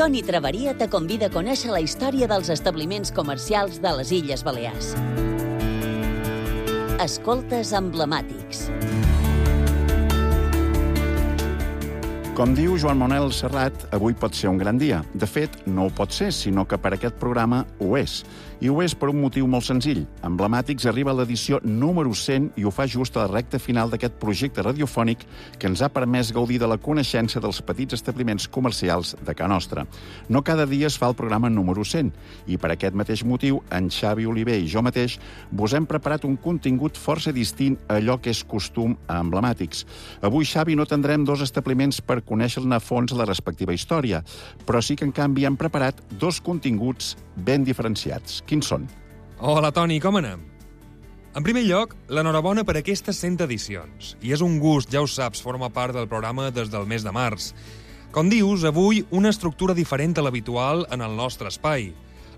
Toni Traveria te convida a conèixer la història dels establiments comercials de les Illes Balears. Escoltes emblemàtics. Com diu Joan Manuel Serrat, avui pot ser un gran dia. De fet, no ho pot ser, sinó que per aquest programa ho és. I ho és per un motiu molt senzill. Emblemàtics arriba a l'edició número 100 i ho fa just a la recta final d'aquest projecte radiofònic que ens ha permès gaudir de la coneixença dels petits establiments comercials de Ca Nostra. No cada dia es fa el programa número 100 i per aquest mateix motiu, en Xavi Oliver i jo mateix vos hem preparat un contingut força distint a allò que és costum a Emblemàtics. Avui, Xavi, no tindrem dos establiments per conèixer-ne a fons la respectiva història, però sí que, en canvi, hem preparat dos continguts ben diferenciats. Quins són? Hola, Toni, com anem? En primer lloc, l'enhorabona per aquestes 100 edicions. I és un gust, ja ho saps, formar part del programa des del mes de març. Com dius, avui una estructura diferent a l'habitual en el nostre espai.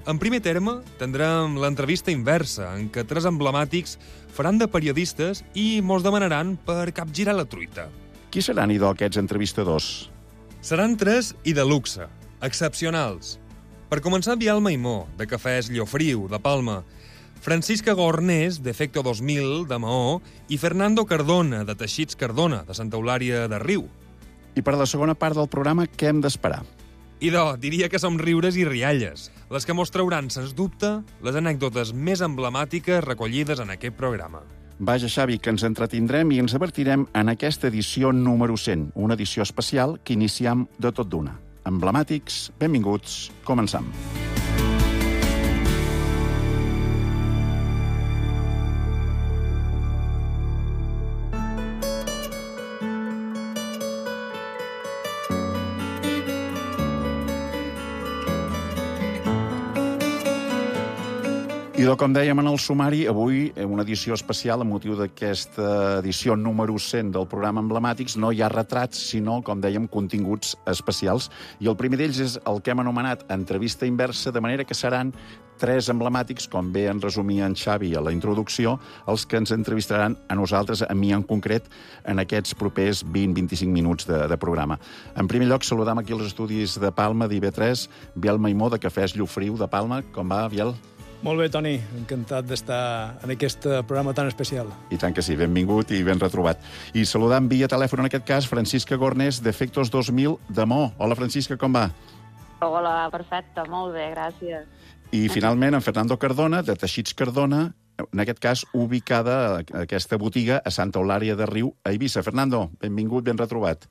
En primer terme, tindrem l'entrevista inversa, en què tres emblemàtics faran de periodistes i mos demanaran per capgirar la truita. Qui seran, idò, aquests entrevistadors? Seran tres i de luxe, excepcionals. Per començar, Biel Maimó, de Cafès Llofriu, de Palma, Francisca Gornés, d'Efecto 2000, de Maó, i Fernando Cardona, de Teixits Cardona, de Santa Eulària de Riu. I per a la segona part del programa, què hem d'esperar? Idò, diria que som riures i rialles, les que mos trauran, sens dubte, les anècdotes més emblemàtiques recollides en aquest programa. Vaja, Xavi, que ens entretindrem i ens divertirem en aquesta edició número 100, una edició especial que iniciem de tot d'una. Emblemàtics, benvinguts, començam. I com dèiem en el sumari, avui, una edició especial, amb motiu d'aquesta edició número 100 del programa Emblemàtics, no hi ha retrats, sinó, com dèiem, continguts especials. I el primer d'ells és el que hem anomenat entrevista inversa, de manera que seran tres emblemàtics, com bé en resumia en Xavi a la introducció, els que ens entrevistaran a nosaltres, a mi en concret, en aquests propers 20-25 minuts de programa. En primer lloc, saludam aquí als estudis de Palma, d'IV3, Biel Maimó, de Cafès Llofriu, de Palma. Com va, Biel? Molt bé, Toni. Encantat d'estar en aquest programa tan especial. I tant que sí, benvingut i ben retrobat. I saludant via telèfon, en aquest cas, Francisca Gornés, d'Efectos 2000, de Maó. Hola, Francisca, com va? Hola, perfecte, molt bé, gràcies. I, finalment, en Fernando Cardona, de Teixits Cardona, en aquest cas, ubicada aquesta botiga a Santa Eulària de Riu, a Eivissa. Fernando, benvingut, ben retrobat.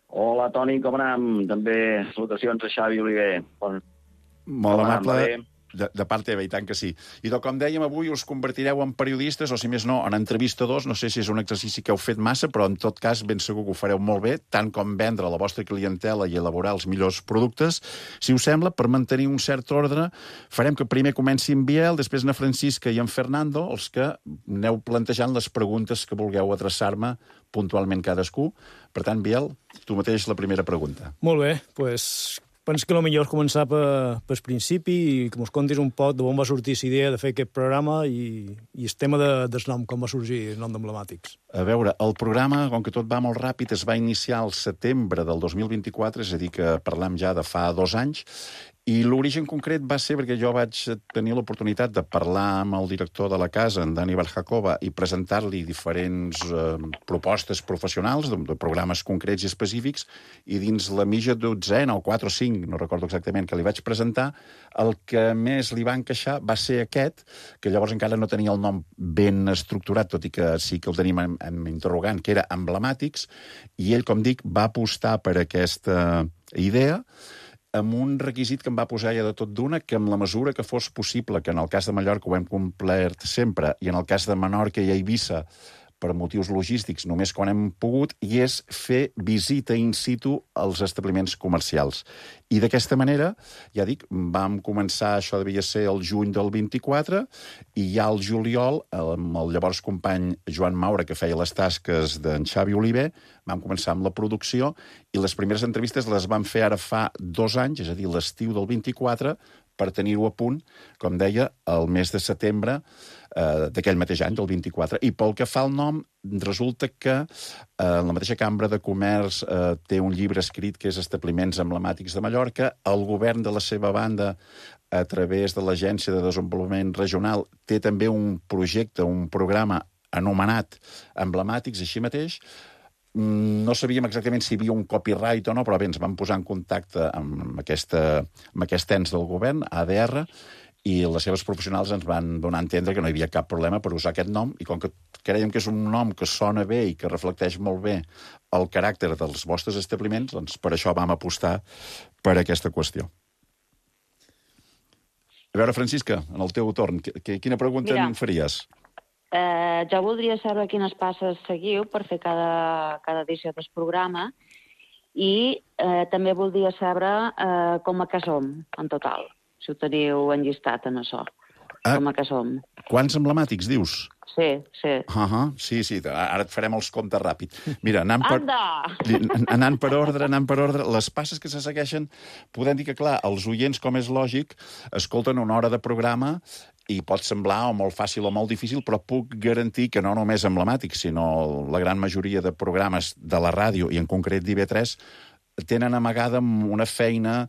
Hola, Toni, com anem? També salutacions a Xavi Oliver. Molt amable. De part teva, i tant que sí. I com dèiem, avui us convertireu en periodistes, o si més no, en entrevistadors. No sé si és un exercici que heu fet massa, però en tot cas ben segur que ho fareu molt bé, tant com vendre la vostra clientela i elaborar els millors productes. Si us sembla, per mantenir un cert ordre, farem que primer comenci en Biel, després na Francisca i en Fernando, els que aneu plantejant les preguntes que vulgueu adreçar-me puntualment cadascú. Per tant, Biel, tu mateix la primera pregunta. Molt bé, doncs penso que el millor és començar pel principi i que mos contis un poc d'on va sortir la idea de fer aquest programa i el tema del nom, com va sorgir el nom d'Emblemàtics. A veure, el programa, com que tot va molt ràpid, es va iniciar al setembre del 2024, és a dir, que parlem ja de fa 2 anys, i l'origen concret va ser perquè jo vaig tenir l'oportunitat de parlar amb el director de la casa, en Dani Barjakova, i presentar-li diferents propostes professionals de programes concrets i específics, i dins la mitja dotzena, o 4 o 5, no recordo exactament, que li vaig presentar, el que més li va encaixar va ser aquest, que llavors encara no tenia el nom ben estructurat, tot i que sí que el tenim en interrogant, que era Emblemàtics, i ell, com dic, va apostar per aquesta idea, amb un requisit que em va posar ja de tot d'una, que en la mesura que fos possible, que en el cas de Mallorca ho hem complert sempre, i en el cas de Menorca i Eivissa, per motius logístics, només quan hem pogut, i és fer visita in situ als establiments comercials. I d'aquesta manera, ja dic, vam començar, això devia ser el juny del 24, i ja al juliol, amb el llavors company Joan Maura, que feia les tasques d'en Xavi Oliver, vam començar amb la producció, i les primeres entrevistes les vam fer ara fa 2 anys, és a dir, l'estiu del 24, per tenir-ho a punt, com deia, el mes de setembre, d'aquell mateix any, del 24. I pel que fa al nom, resulta que la mateixa Cambra de Comerç té un llibre escrit que és Establiments Emblemàtics de Mallorca. El govern, de la seva banda, a través de l'Agència de Desenvolupament Regional, té també un projecte, un programa anomenat Emblemàtics, així mateix. No sabíem exactament si hi havia un copyright o no, però bé, ens vam posar en contacte amb aquest ens del govern, ADR, i les seves professionals ens van donar a entendre que no hi havia cap problema per usar aquest nom, i com que creiem que és un nom que sona bé i que reflecteix molt bé el caràcter dels vostres establiments, doncs per això vam apostar per aquesta qüestió. A veure, Francisca, en el teu torn, quina pregunta em faries? Jo voldria saber quines passes seguiu per fer cada edició del programa i també voldria saber com a què som, en total, si ho teniu enllistat en això, com a què som. Quants emblemàtics, dius? Sí. Sí, ara et farem els comptes ràpid. Mira, anant per ordre, les passes que se segueixen, podem dir que, clar, els oients, com és lògic, escolten una hora de programa i pot semblar o molt fàcil o molt difícil, però puc garantir que no només emblemàtics, sinó la gran majoria de programes de la ràdio, i en concret d'IV3, tenen amagada una feina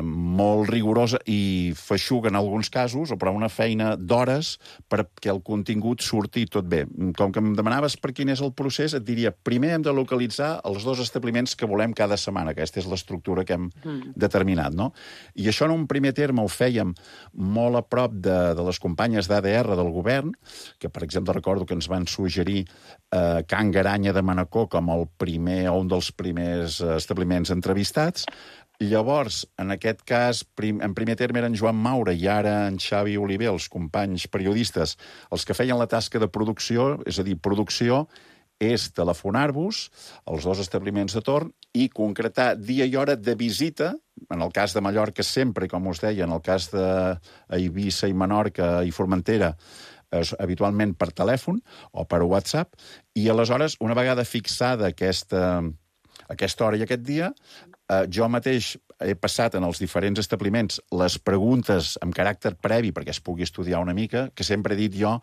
molt rigorosa i feixuga en alguns casos, però una feina d'hores perquè el contingut surti tot bé. Com que em demanaves per quin és el procés, et diria, primer hem de localitzar els 2 establiments que volem cada setmana. Aquesta és l'estructura que hem determinat, no? I això en un primer terme ho fèiem molt a prop de les companyes d'ADR del govern, que, per exemple, recordo que ens van suggerir Can Garanya de Manacor com el primer o un dels primers establiments entrevistats. Llavors, en aquest cas, en primer terme eren Joan Maura i ara en Xavi Oliver, els companys periodistes, els que feien la tasca de producció, és a dir, producció és telefonar-vos als 2 establiments de torn i concretar dia i hora de visita, en el cas de Mallorca sempre, com us deia, en el cas d'Eivissa i Menorca i Formentera, habitualment per telèfon o per WhatsApp, i aleshores, una vegada fixada aquesta hora i aquest dia, jo mateix he passat en els diferents establiments les preguntes amb caràcter previ perquè es pugui estudiar una mica, que sempre he dit jo,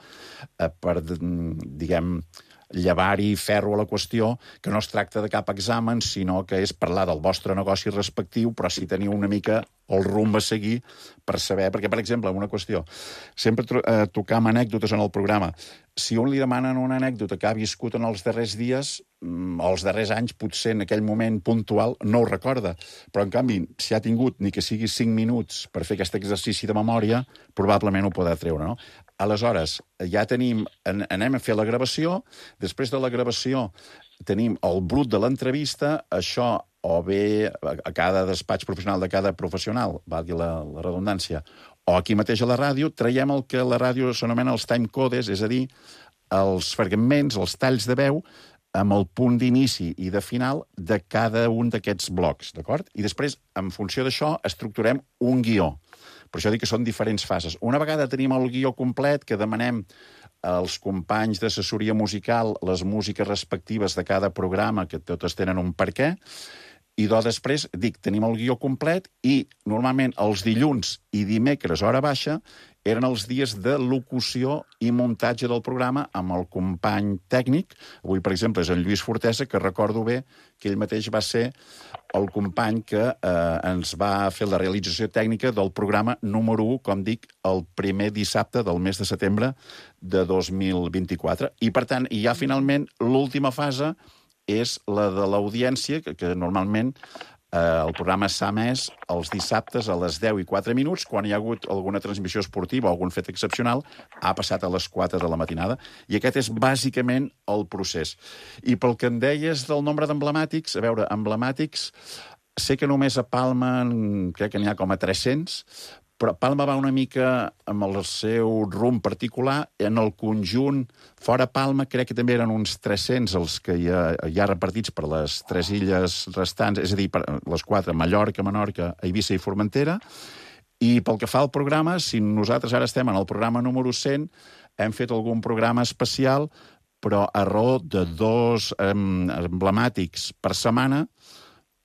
per, diguem, llevar-hi ferro a la qüestió, que no es tracta de cap examen, sinó que és parlar del vostre negoci respectiu, però si teniu una mica el rumb a seguir per saber... Perquè, per exemple, una qüestió, sempre tocam anècdotes en el programa. Si un li demanen una anècdota que ha viscut en els darrers dies o els darrers anys, potser en aquell moment puntual no ho recorda. Però, en canvi, si ha tingut ni que sigui 5 minuts per fer aquest exercici de memòria, probablement ho podrà treure, no? Aleshores, ja anem a fer la gravació, després de la gravació tenim el brut de l'entrevista, això o bé a cada despatx professional de cada professional, valgui la redundància, o aquí mateix a la ràdio, traiem el que a la ràdio s'anomena els timecodes, és a dir, els fragments, els talls de veu, amb el punt d'inici i de final de cada un d'aquests blocs, d'acord? I després, en funció d'això, estructurem un guió. Per això dic que són diferents fases. Una vegada tenim el guió complet, que demanem als companys d'assessoria musical les músiques respectives de cada programa, que totes tenen un per què, i després, tenim el guió complet i normalment els dilluns i dimecres, hora baixa, eren els dies de locució i muntatge del programa amb el company tècnic. Avui, per exemple, és en Lluís Fortesa, que recordo bé que ell mateix va ser el company que ens va fer la realització tècnica del programa número 1, com dic, el primer dissabte del mes de setembre de 2024. I, per tant, ja finalment l'última fase és la de l'audiència, que normalment el programa s'ha emès els dissabtes a les 10:04, quan hi ha hagut alguna transmissió esportiva o algun fet excepcional, ha passat a les 4 de la matinada, i aquest és bàsicament el procés. I pel que em deies del nombre d'emblemàtics, a veure, emblemàtics, sé que només a Palma crec que n'hi ha com a 300, però Palma va una mica amb el seu rumb particular. En el conjunt, fora Palma, crec que també eren uns 300 els que hi ha repartits per les 3 illes restants, és a dir, per les 4, Mallorca, Menorca, Eivissa i Formentera. I pel que fa al programa, si nosaltres ara estem en el programa número 100, hem fet algun programa especial, però a raó de 2 emblemàtics per setmana,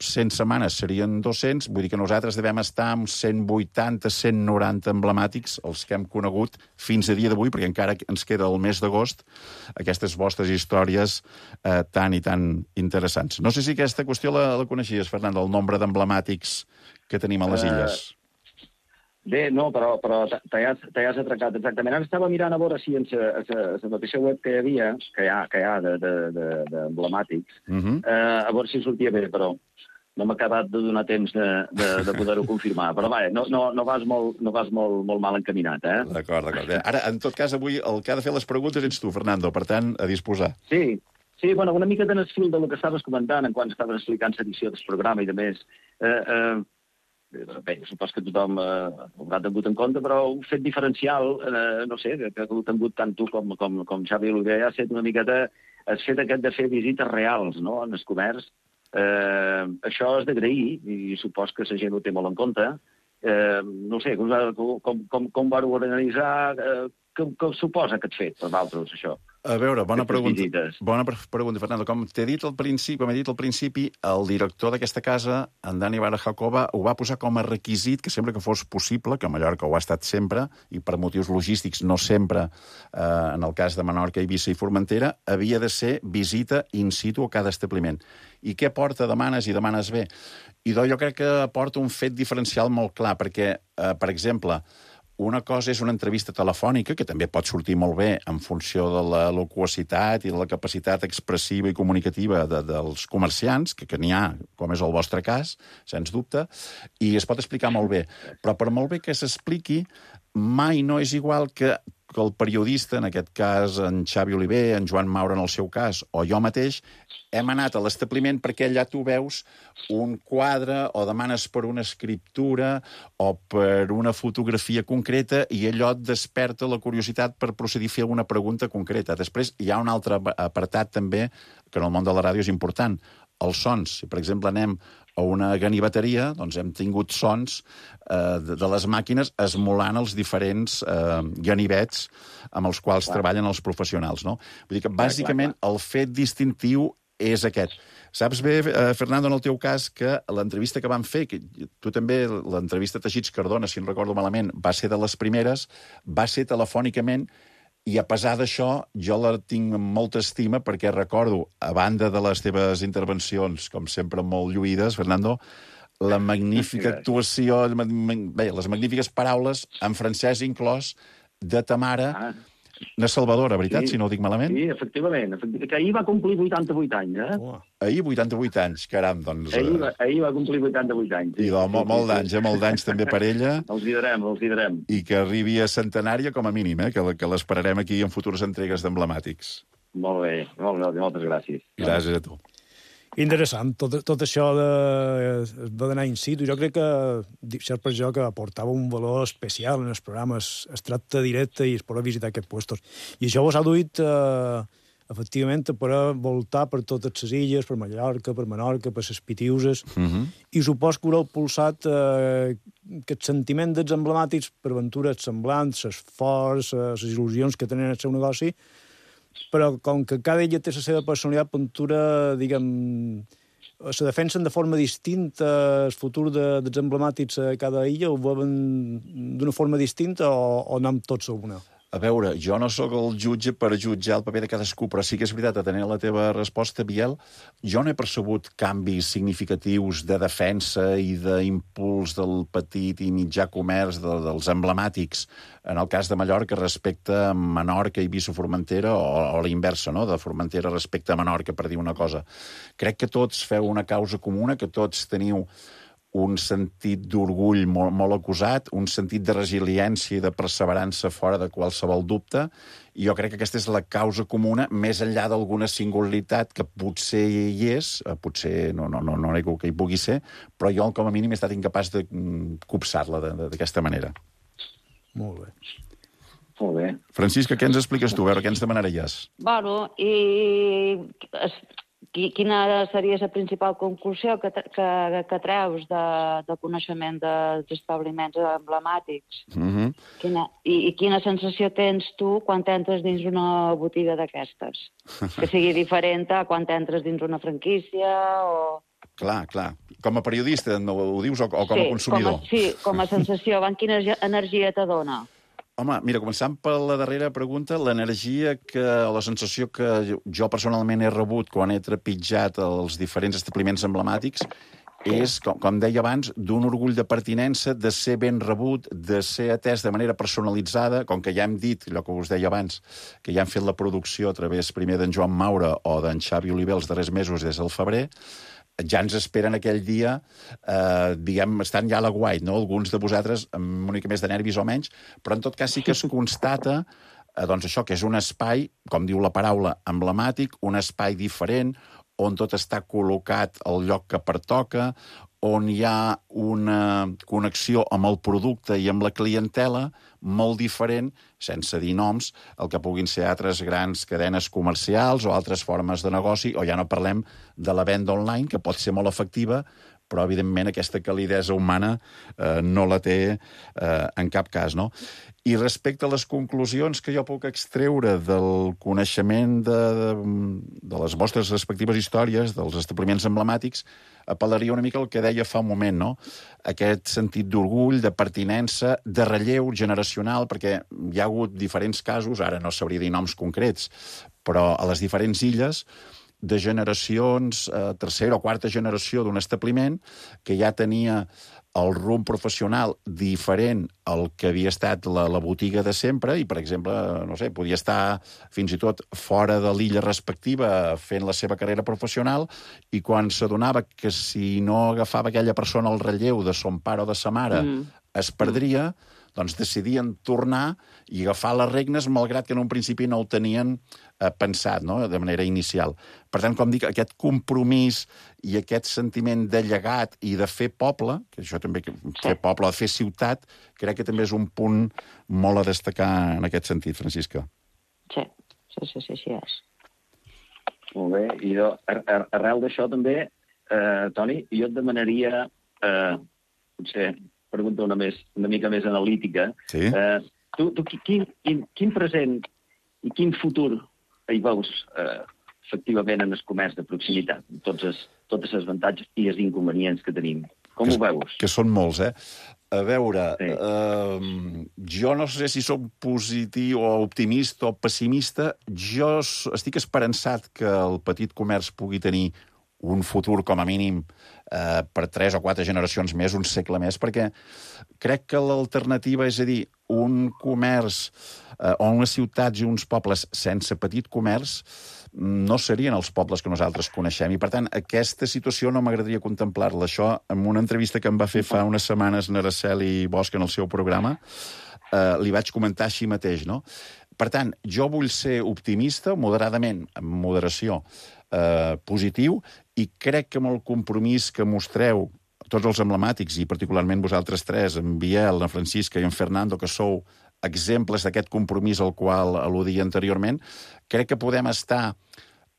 100 setmanes serien 200, vull dir que nosaltres devem estar amb 180, 190 emblemàtics, els que hem conegut fins a dia d'avui, perquè encara ens queda el mes d'agost, aquestes vostres històries tan i tan interessants. No sé si aquesta qüestió la coneixies, Fernando, el nombre d'emblemàtics que tenim a les illes. Bé, no, però t'has atracat exactament. Ara estava mirant a veure si en la mateixa web que hi havia, que hi ha d'emblemàtics, a veure si sortia bé, però no m'ha acabat de donar temps de poder-ho confirmar. Però vaja, no vas molt mal encaminat, eh? D'acord. Ara, en tot cas, avui el que ha de fer les preguntes ets tu, Fernando, per tant, a disposar. Sí, bueno, una mica en el fil del que estaves comentant, en quan estaves explicant l'edició del programa i de més. Bé, supos que tothom ho haurà tingut en compte, però un fet diferencial, no sé, que ho ha tingut tant tu com Xavi Oliver, ha estat una miqueta el fet aquest de fer visites reals, no?, en el comerç. Això és d'agrair, i supos que la gent ho té molt en compte. No sé, com vareu organitzar, què suposa aquest fet per vosaltres, això? A veure, bona pregunta, Fernando. Com t'he dit al principi, el director d'aquesta casa, en Dani Barajacova, ho va posar com a requisit que sempre que fos possible, que a Mallorca ho ha estat sempre, i per motius logístics no sempre, en el cas de Menorca, Eivissa i Formentera, havia de ser visita in situ a cada establiment. I què porta Demanes i Demanes bé? I jo crec que porta un fet diferencial molt clar, perquè, per exemple, una cosa és una entrevista telefònica, que també pot sortir molt bé en funció de la loquacitat i de la capacitat expressiva i comunicativa dels comerciants, que n'hi ha, com és el vostre cas, sens dubte, i es pot explicar molt bé. Però per molt bé que s'expliqui, mai no és igual que el periodista, en aquest cas en Xavi Oliver, en Joan Maura en el seu cas, o jo mateix, hem anat a l'establiment perquè allà tu veus un quadre o demanes per una escriptura o per una fotografia concreta i allò et desperta la curiositat per procedir a fer una pregunta concreta. Després hi ha un altre apartat també que en el món de la ràdio és important, els sons. Si, per exemple, anem a una ganiveteria, doncs hem tingut sons de les màquines esmolant els diferents ganivets amb els quals treballen els professionals, no? Vull dir que, bàsicament, el fet distintiu és aquest. Saps bé, Fernando, en el teu cas, que l'entrevista que vam fer, que tu també, l'entrevista a Teixits Cardona, si no recordo malament, va ser de les primeres, va ser telefònicament, i a pesar d'això, jo la tinc amb molta estima perquè recordo, a banda de les teves intervencions, com sempre molt lluïdes, Fernando, la magnífica actuació, bé, les magnífiques paraules, en francès inclòs, de ta mare, una salvadora, veritat, si no ho dic malament? Sí, efectivament, que ahir va complir 88 anys, eh? Ahir 88 anys, caram, doncs... Ahir va complir 88 anys. I molt d'anys també per ella. Els direm. I que arribi a centenària com a mínim, que l'esperarem aquí en futures entregues d'emblemàtics. Molt bé, moltes gràcies. Gràcies a tu. Interessant, tot això va d'anar in situ. Jo crec que, cert per jo, que aportava un valor especial en els programes. Es tracta directe i es pot visitar aquests puestos. I això vos ha duit, efectivament, a poder voltar per totes les illes, per Mallorca, per Menorca, per les Pitiuses, i supos que haureu pulsat aquest sentiment dels emblemàtics per aventures semblants, l'esforç, les il·lusions que tenen el seu negoci, però com que cada illa té la seva personalitat, Ventura, diguem, se defensen de forma distinta el futur dels emblemàtics a cada illa, o veuen d'una forma distinta o anem tots a una? A veure, jo no sóc el jutge per jutjar el paper de cadascú, però sí que és veritat, atenent la teva resposta, Biel, jo no he percebut canvis significatius de defensa i d'impuls del petit i mitjà comerç dels emblemàtics, en el cas de Mallorca respecte a Menorca i Eivissa Formentera, o la inversa, no?, de Formentera respecte a Menorca, per dir una cosa. Crec que tots feu una causa comuna, que tots teniu un sentit d'orgull molt acusat, un sentit de resiliència i de perseverança fora de qualsevol dubte, i jo crec que aquesta és la causa comuna, més enllà d'alguna singularitat que potser hi és, potser no nego que hi pugui ser, però jo com a mínim he estat incapaç de copsar-la d'aquesta manera. Molt bé. Molt bé. Francisca, què ens expliques tu? A veure, què ens demanaries? Bueno, i quina seria la principal conclusió que treus de coneixement dels establiments emblemàtics? I quina sensació tens tu quan entres dins una botiga d'aquestes? Que sigui diferent a quan entres dins una franquícia o... Clar. Com a periodista, no ho dius, o com a consumidor? Com a sensació. Quina energia te dona? Home, mira, començant per la darrera pregunta, l'energia la sensació que jo personalment he rebut quan he trepitjat els diferents establiments emblemàtics és, com deia abans, d'un orgull de pertinença, de ser ben rebut, de ser atès de manera personalitzada, com que ja hem dit, allò que us deia abans, que ja hem fet la producció a través primer d'en Joan Maura o d'en Xavi Oliver els darrers mesos des del febrer, ja ens esperen aquell dia, estan ja a l'aguait, no? Alguns de vosaltres amb una mica més de nervis o menys, però en tot cas sí que es constata doncs això, que és un espai, com diu la paraula, emblemàtic, un espai diferent, on tot està col·locat al lloc que pertoca, on hi ha una connexió amb el producte i amb la clientela molt diferent, sense dir noms, el que puguin ser altres grans cadenes comercials o altres formes de negoci, o ja no parlem de la venda online, que pot ser molt efectiva, però, evidentment, aquesta calidesa humana no la té en cap cas, no? I respecte a les conclusions que jo puc extreure del coneixement de les vostres respectives històries, dels establiments emblemàtics, apel·laria una mica al que deia fa un moment, no? Aquest sentit d'orgull, de pertinença, de relleu generacional, perquè hi ha hagut diferents casos, ara no sabria dir noms concrets, però a les diferents illes, de generacions, tercera o quarta generació d'un establiment que ja tenia el rumb professional diferent al que havia estat la botiga de sempre i, per exemple, no sé, podia estar fins i tot fora de l'illa respectiva fent la seva carrera professional i quan s'adonava que si no agafava aquella persona el relleu de son pare o de sa mare es perdria, doncs decidien tornar i agafar les regnes, malgrat que en un principi no ho tenien pensat, no?, de manera inicial. Per tant, com dic, aquest compromís i aquest sentiment de llegat i de fer poble, que això també, fer poble, de fer ciutat, crec que també és un punt molt a destacar en aquest sentit, Francisca. Sí és. Molt bé, i jo, arrel d'això també, Toni, jo et demanaria, potser, pregunta una mica més analítica. Sí. Tu quin present i quin futur hi veus efectivament en el comerç de proximitat, tots els avantatges i els inconvenients que tenim? Com ho veus? Que són molts, A veure, jo no sé si soc positiu o optimista o pessimista. Jo estic esperançat que el petit comerç pugui tenir un futur, com a mínim, per 3 o 4 generacions més, un segle més, perquè crec que l'alternativa, és a dir, un comerç o unes ciutats i uns pobles sense petit comerç no serien els pobles que nosaltres coneixem. I, per tant, aquesta situació no m'agradaria contemplar-la. Això, en una entrevista que em va fer fa unes setmanes Araceli Bosch en el seu programa, li vaig comentar així mateix, no? Per tant, jo vull ser optimista, moderadament, amb moderació, positiu, i crec que amb el compromís que mostreu tots els emblemàtics, i particularment vosaltres tres, en Biel, en Francisca i en Fernando, que sou exemples d'aquest compromís al qual al·ludia anteriorment, crec que podem estar,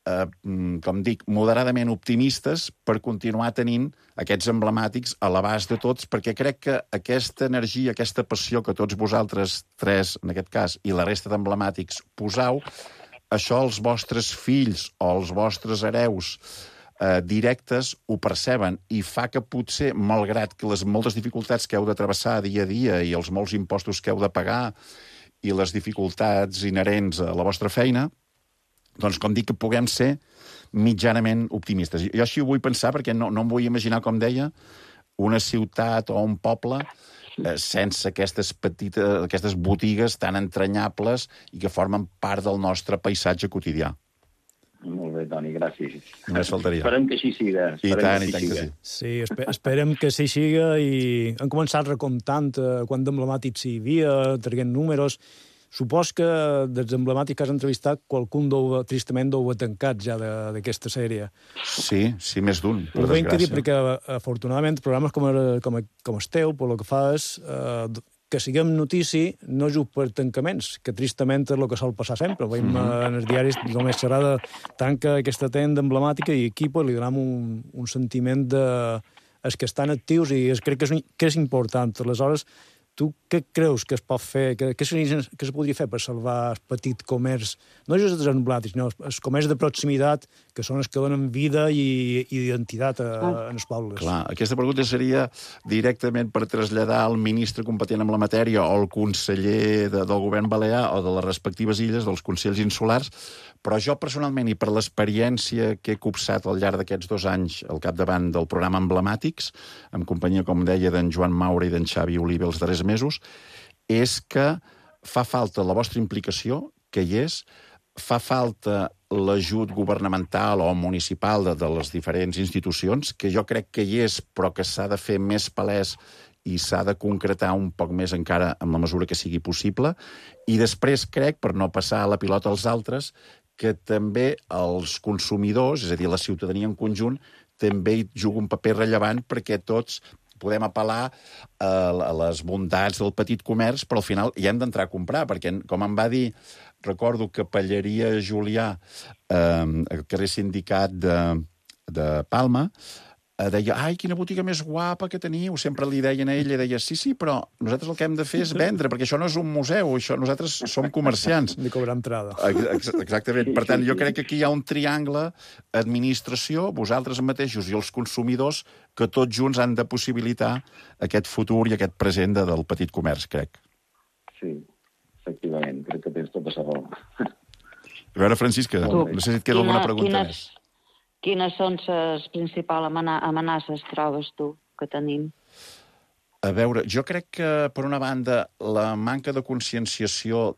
com dic, moderadament optimistes per continuar tenint aquests emblemàtics a l'abast de tots, perquè crec que aquesta energia, aquesta passió que tots vosaltres tres, en aquest cas, i la resta d'emblemàtics posau, això els vostres fills o els vostres hereus directes ho perceben i fa que potser, malgrat que les moltes dificultats que heu de travessar dia a dia i els molts impostos que heu de pagar i les dificultats inherents a la vostra feina, doncs, com dic, que puguem ser mitjanament optimistes. Jo així ho vull pensar perquè no em vull imaginar, com deia, una ciutat o un poble sense aquestes botigues tan entranyables i que formen part del nostre paisatge quotidià. Molt bé, Toni, gràcies. Només faltaria. Esperem que així siga. I tant que sí. Sí, esperem que així siga i hem començat recomptant quant d'emblemàtics hi havia, traient números. Supos que dels emblemàtics que has entrevistat, qualcun tristament deu haver tancat ja d'aquesta sèrie. Sí, més d'un, per desgràcia. Ho ben dir, perquè afortunadament programes com el teu, per el que fa és que siguem notícia, no just per tancaments, que tristament és el que sol passar sempre. Veiem en els diaris, només xerrada, tanca aquesta tenda emblemàtica i aquí li donem un sentiment de els que estan actius i crec que és important. Aleshores, Tu què creus que es pot fer, que es podria fer per salvar el petit comerç, no just els emblemàtics, sinó els comerç de proximitat, que són els que donen vida i identitat en els pobles? Clar, aquesta pregunta seria directament per traslladar al ministre competent amb la matèria o al conseller del govern balear o de les respectives illes, dels consells insulars, però jo personalment, i per l'experiència que he copsat al llarg d'aquests 2 anys al capdavant del programa Emblemàtics, en companyia, com deia, d'en Joan Maura i d'en Xavi Oliva els darrers mesos, és que fa falta la vostra implicació, que hi és, fa falta l'ajut governamental o municipal de les diferents institucions, que jo crec que hi és, però que s'ha de fer més palès i s'ha de concretar un poc més encara en la mesura que sigui possible. I després crec, per no passar la pilota als altres, que també els consumidors, és a dir, la ciutadania en conjunt, també hi juga un paper rellevant perquè tots podem apel·lar a les bondats del petit comerç, però al final hi hem d'entrar a comprar, perquè, com em va dir, recordo que Pelleria Julià, al carrer Sindicat de Palma, deia, ai, quina botiga més guapa que teniu. Sempre li deien a ella, deia, sí, però nosaltres el que hem de fer és vendre, perquè això no és un museu, nosaltres som comerciants. De cobrar entrada. Exactament. Per tant, jo crec que aquí hi ha un triangle, administració, vosaltres mateixos i els consumidors, que tots junts han de possibilitar aquest futur i aquest present del petit comerç, crec. Sí, efectivament, crec que tens tota la raó. A veure, Francisca, no sé si et queda alguna pregunta més. Quines són les principals amenaces, trobes tu, que tenim? A veure, jo crec que, per una banda, la manca de conscienciació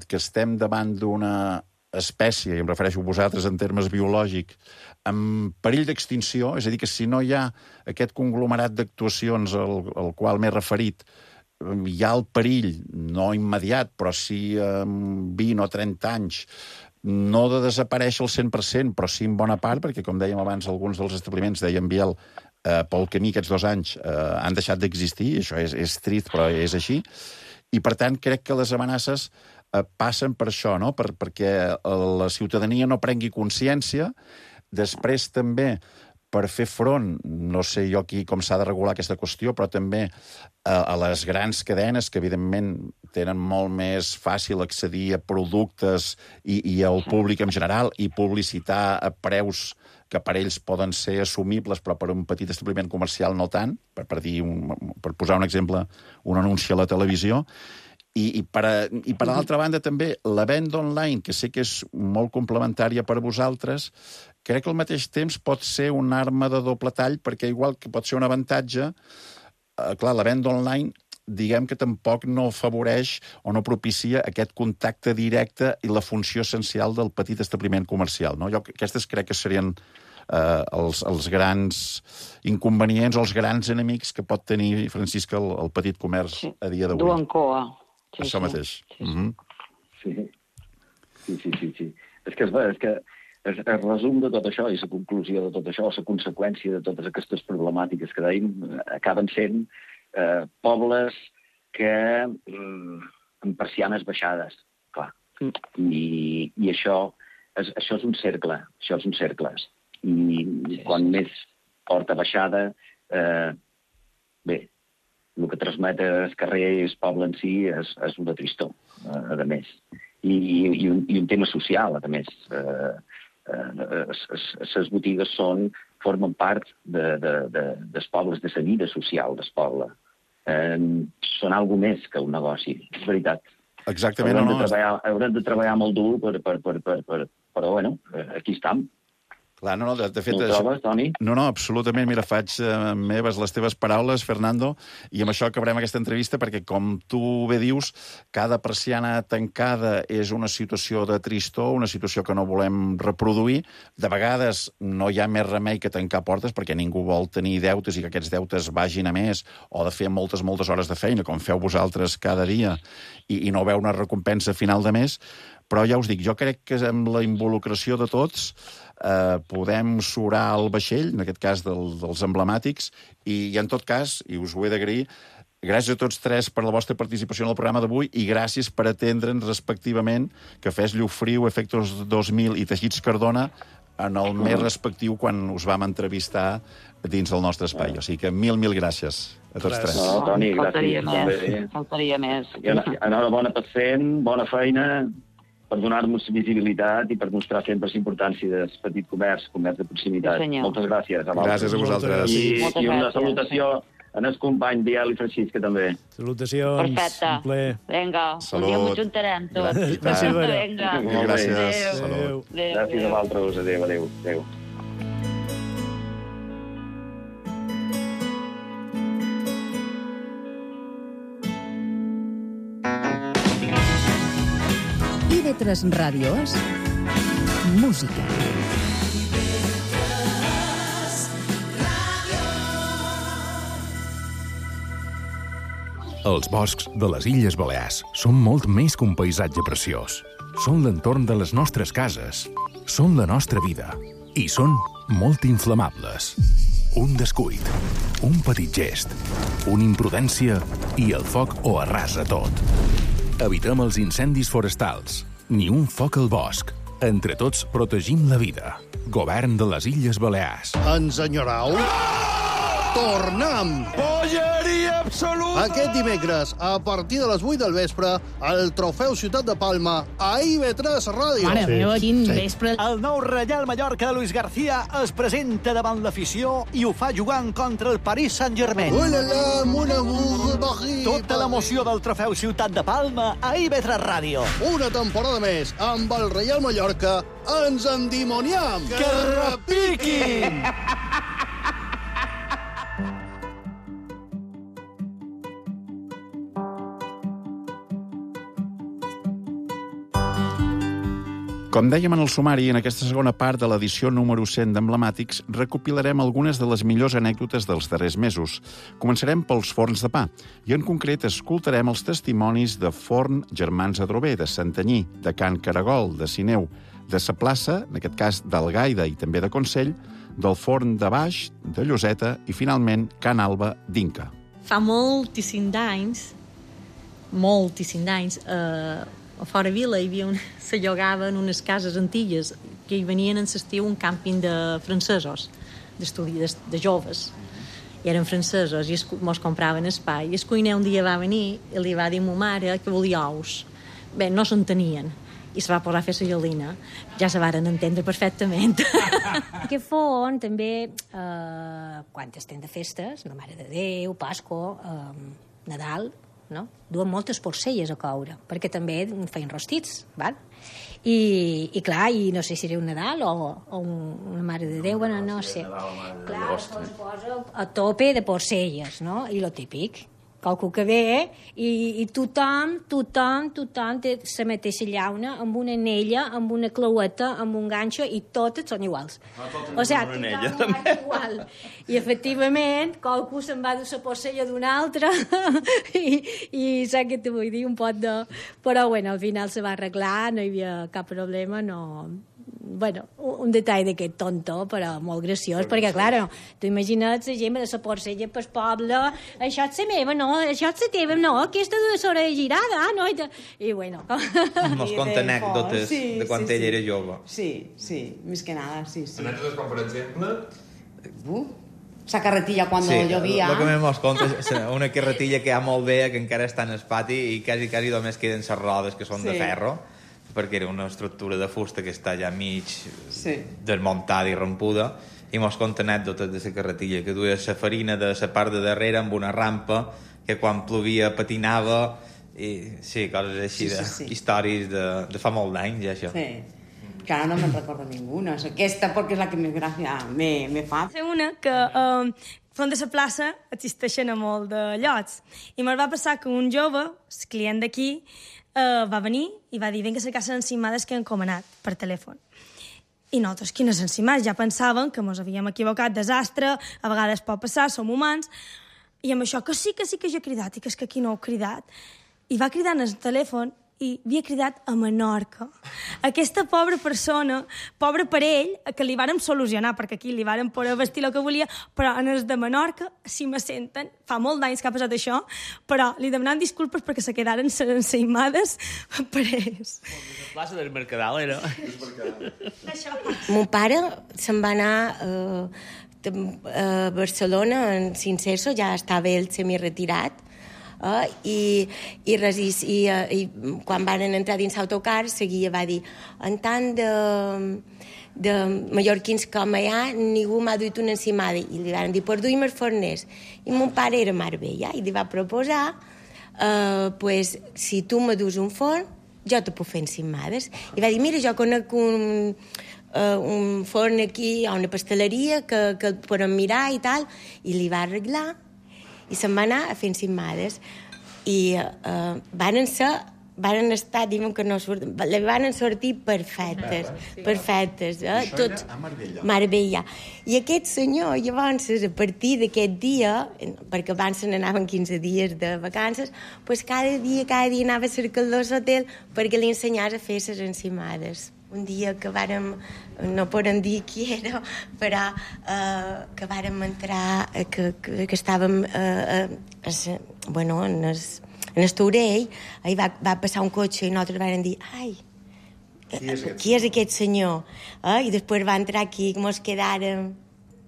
que estem davant d'una espècie, i em refereixo a vosaltres en termes biològics, en perill d'extinció, és a dir, que si no hi ha aquest conglomerat d'actuacions al qual m'he referit, hi ha el perill, no immediat, però sí en 20 o 30 anys, no de desaparèixer al 100%, però sí en bona part, perquè, com dèiem abans, alguns dels establiments, deien Biel, pel camí aquests 2 anys han deixat d'existir, això és trist, però és així, i per tant crec que les amenaces passen per això, no? Perquè la ciutadania no prengui consciència, després també per fer front, no sé jo aquí com s'ha de regular aquesta qüestió, però també a les grans cadenes, que evidentment tenen molt més fàcil accedir a productes i al públic en general, i publicitar a preus que per ells poden ser assumibles, però per un petit establiment comercial no tant, per posar un exemple, un anunci a la televisió. I per l'altra banda també la venda online, que sé que és molt complementària per a vosaltres, crec que al mateix temps pot ser una arma de doble tall, perquè igual que pot ser un avantatge, clar, la venda online diguem que tampoc no afavoreix o no propicia aquest contacte directe i la funció essencial del petit establiment comercial, no? Aquestes crec que serien els grans inconvenients o els grans enemics que pot tenir, Francisca, el petit comerç a dia d'avui. Duen coa. Sí, això mateix. Sí. És que el resum de tot això i la conclusió de tot això, la conseqüència de totes aquestes problemàtiques que dèiem, acaben sent pobles que amb persianes baixades, clar. I això és un cercle, I quan més porta baixada, bé, el que transmet el carrer i el poble en si és una tristor, a més. I un tema social, a més. Les botigues formen part dels pobles, de la vida social del poble. Són alguna més que un negoci, és veritat. Exactament. Haurem de treballar molt dur, però bueno, aquí estem. Clar, de fet... No ho trobes, Toni? No, absolutament. Mira, faig meves les teves paraules, Fernando, i amb això acabarem aquesta entrevista, perquè, com tu bé dius, cada persiana tancada és una situació de tristor, una situació que no volem reproduir. De vegades no hi ha més remei que tancar portes, perquè ningú vol tenir deutes i que aquests deutes vagin a més, o de fer moltes hores de feina, com feu vosaltres cada dia, i no veu una recompensa a final de mes. Però ja us dic, jo crec que amb la involucració de tots podem surar el vaixell, en aquest cas dels emblemàtics, i en tot cas, i us ho he d'agrair, gràcies a tots tres per la vostra participació en el programa d'avui i gràcies per atendre'ns respectivament Cafès Llofriu, Efectos 2000 i Teixits Cardona en el més respectiu quan us vam entrevistar dins del nostre espai. O sigui que mil gràcies a tots tres. No, Toni, gràcies. Faltaria més. I enhorabona per fent, bona feina, per donar-nos visibilitat i per mostrar sempre la importància del petit comerç de proximitat. Moltes gràcies. Gràcies a vosaltres. I una salutació en el company Biel i Francisca, també. Salutacions. Perfecte. Vinga, un dia m'ho juntarem tot. Gràcies, Vera. Vinga. Gràcies. Adéu. Gràcies a vosaltres. Adéu. IB3 Ràdio és música. Els boscs de les Illes Balears són molt més que un paisatge preciós. Són l'entorn de les nostres cases. Són la nostra vida. I són molt inflamables. Un descuit, un petit gest, una imprudència i el foc ho arrasa tot. Evitem els incendis forestals. Ni un foc al bosc. Entre tots protegim la vida. Govern de les Illes Balears. Ens enyorau? Tornem! Polleria absoluta! Aquest dimecres, a partir de les 8 del vespre, el Trofeu Ciutat de Palma a IB3 Ràdio. Mare meva, quin vespre. El nou Reial Mallorca de Luis García es presenta davant l'afició i ho fa jugant contra el Paris Saint-Germain. Tota l'emoció del Trofeu Ciutat de Palma a IB3 Ràdio. Una temporada més amb el Reial Mallorca. Ens endimoniam! Que repiquin! Com dèiem en el sumari, en aquesta segona part de l'edició número 100 d'Emblemàtics recopilarem algunes de les millors anècdotes dels darrers mesos. Començarem pels forns de pa, i en concret escoltarem els testimonis de Forn Germans Adrover, de Santanyí, de Can Caragol, de Sineu, de Sa Plaça, en aquest cas d'Algaida i també de Consell, del Forn de Baix, de Lloseta i, finalment, Can Alba d'Inca. Fa moltíssim d'anys, a fora Vila hi havia se llogaven unes cases antigues que hi venien en l'estiu un càmping de francesos, de joves. I eren francesos i mos compraven espai. I el cuiner un dia va venir i li va dir a ma mare que volia ous. Bé, no s'entenien. I se va posar a fer la gelina. Ja se varen entendre perfectament. Aquest forn també, quan estem de festes, la Mare de Déu, Pasqua, Nadal, no? Duen moltes porcelles a coure, perquè també feien rostits, val? I clar, i no sé si era un Nadal o una Mare de Déu, bueno, no sé. Clar, es posa a tope de porcelles, no? I lo típic, qualcú que ve i tothom té la mateixa llauna, amb una anella, amb una claueta, amb un ganxo, i totes són iguals. O sigui, tothom igual. I efectivament, qualcú se'n va dur la porcella d'una altra i saps què te vull dir, un pot de... Però, bueno, al final se va arreglar, no hi havia cap problema, no... Bueno, un detall d'aquest tonto, però molt graciós, perquè, clar, tu imagina't la gent de la porcella pel poble, això és la meva, no, això és la teva, no, aquesta de l'orella girada, no, i bueno... Mos conta anècdotes de quan ella era jove. Sí, més que nada, sí. Anècdotes com, per exemple... La carretilla quan llovia. El que mos conta és una carretilla que hi ha molt bé, que encara està en el pati, i quasi només queden les rodes, que són de ferro, perquè era una estructura de fusta que està ja mig desmuntada i rompuda, i mos conta anècdotes de la carretilla, que duia la farina de la part de darrere amb una rampa que quan plovia patinava, i sí, coses així, històries de fa molt d'anys, ja, això. Sí, que ara no me'n recordo ninguna. Aquesta perquè és la que més gràcia me fa. Sé una que font de la plaça existeixen a molt de llocs, i me'l va passar que un jove, el client d'aquí, va venir i va dir vinga a cercar les encimades que he encomanat per telèfon. I nosaltres, quines encimades? Ja pensàvem que ens havíem equivocat, desastre, a vegades pot passar, som humans, i amb això que sí que jo he cridat, i que és que aquí no heu cridat. I va cridar en el telèfon i havia cridat a Menorca. Aquesta pobra persona, pobre per ell, que li vàrem solucionar, perquè aquí li vàrem poder vestir el que volia, però en els de Menorca, si me senten, fa molt d'anys que ha passat això, però li demanem disculpes perquè se quedaren ensaïmades per ells. La plaça del Mercadal era... Mon pare se'n va anar a Barcelona en Cinceso, ja estava ell semi-retirat, i quan van entrar dins l'autocar seguia, va dir, en tant de mallorquins com hi ha, ningú m'ha duit una encimada, i li van dir, pues duim els forners, i mon pare era Marbella, i li va proposar, pues, si tu me dus un forn, jo te puc fer encimades, i va dir, mira, jo conec un forn aquí, a una pasteleria, que el podem mirar i tal, i li va arreglar, i se'n va anar a fer encimades i van estar, diuen que no surten, van sortir perfectes, perfectes. Això era a Marbella. Marbella. I aquest senyor, llavors, a partir d'aquest dia, perquè abans se n'anaven 15 dies de vacances, pues cada dia anava a cercar l'hotel perquè li ensenyés a fer les encimades. Un dia que vàrem, no podem dir qui era, però que vàrem entrar, que estàvem en el Taurell, i va passar un cotxe i nosaltres vàrem dir, ai, qui és aquest senyor? I després va entrar aquí, que mos quedàrem...